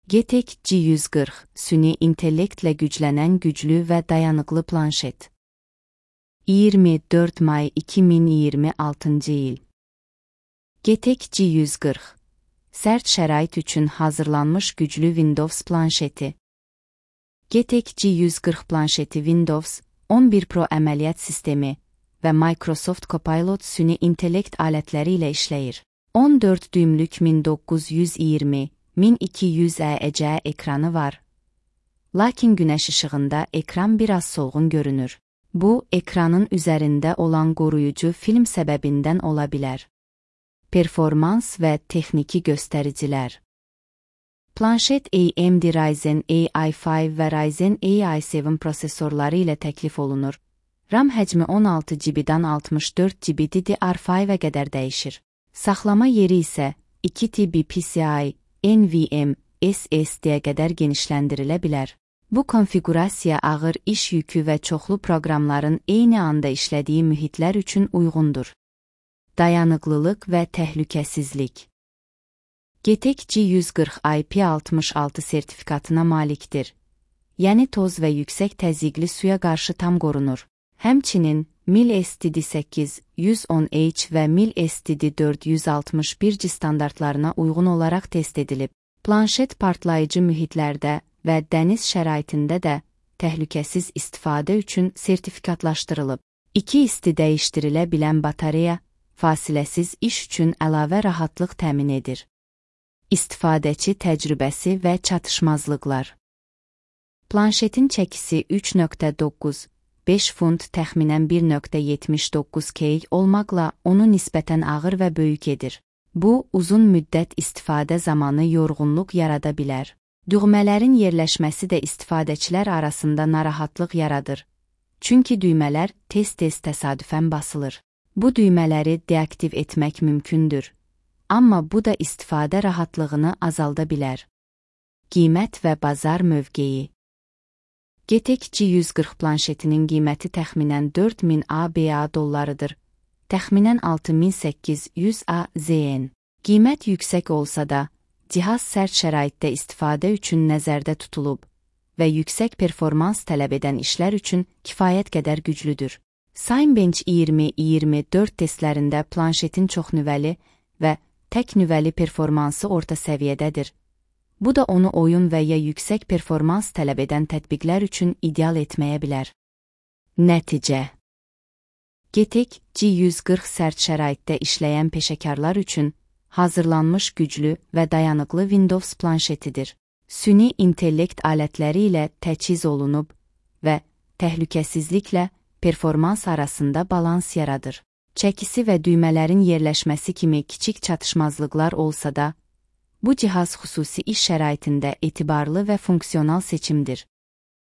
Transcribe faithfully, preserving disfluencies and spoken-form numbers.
G T X G yüz qırx süni intellektlə güclənən güclü və dayanıqlı planşet. iyirmi dörd may iki min iyirmi altıncı il. G T X G yüz qırx sərt şərait üçün hazırlanmış güclü Windows planşeti. G T X G yüz qırx planşeti Windows on bir Pro əməliyyat sistemi və Microsoft Copilot süni intellekt alətləri ilə işləyir. on dörd düymlük min doqquz yüz iyirmi min iki yüz E C ekranı var. Lakin günəş işığında ekran biraz solğun görünür. Bu, ekranın üzərində olan qoruyucu film səbəbindən ola bilər. Performans və texniki göstəricilər. Planşet A M D Ryzen A I beş və Ryzen A I yeddi prosesorları ilə təklif olunur. RAM həcmi on altı gigabaytdan altmış dörd gigabayt D D R beşə qədər dəyişir. Saxlama yeri isə iki T B P C I, N V M, S S D-yə qədər genişləndirilə bilər. Bu konfiqurasiya ağır iş yükü və çoxlu proqramların eyni anda işlədiyi mühitlər üçün uyğundur. Dayanıqlılıq və təhlükəsizlik. G T X G yüz qırx I P altmış altı sertifikatına malikdir. Yəni toz və yüksək təzyiqli suya qarşı tam qorunur. Həmçinin mil S T D səkkiz yüz on H və mil S T D dörd yüz altmış bir G standartlarına uyğun olaraq test edilib. Planşet partlayıcı mühitlərdə və dəniz şəraitində də təhlükəsiz istifadə üçün sertifikatlaşdırılıb. İki isti dəyişdirilə bilən batareya, fasiləsiz iş üçün əlavə rahatlıq təmin edir. İstifadəçi təcrübəsi və çatışmazlıqlar. Planşetin çəkisi üç nöqtə doqquz beş funt təxminən bir nöqtə yetmiş doqquz kg olmaqla onu nisbətən ağır və böyük edir. Bu, uzun müddət istifadə zamanı yorğunluq yarada bilər. Düğmələrin yerləşməsi də istifadəçilər arasında narahatlıq yaradır. Çünki düymələr tez-tez təsadüfən basılır. Bu düymələri deaktiv etmək mümkündür. Amma bu da istifadə rahatlığını azalda bilər. Qiymət və bazar mövqeyi. G T X G yüz qırx planşetinin qiyməti təxminən dörd min A B A dollarıdır. Təxminən altı min səkkiz yüz A Z N. Qiymət yüksək olsa da, cihaz sərt şəraitdə istifadə üçün nəzərdə tutulub və yüksək performans tələb edən işlər üçün kifayət qədər güclüdür. Cinebench iyirmi iyirmi dörd testlərində planşetin çoxnüvəli və tək nüvəli performansı orta səviyyədədir. Bu da onu oyun və ya yüksək performans tələb edən tətbiqlər üçün ideal etməyə bilər. Nəticə. G T X G yüz qırx sərt şəraitdə işləyən peşəkarlar üçün hazırlanmış güclü və dayanıqlı Windows planşetidir. Süni intellekt alətləri ilə təchiz olunub və təhlükəsizliklə performans arasında balans yaradır. Çəkisi və düymələrin yerləşməsi kimi kiçik çatışmazlıqlar olsa da, bu cihaz xüsusi iş şəraitində etibarlı və funksional seçimdir.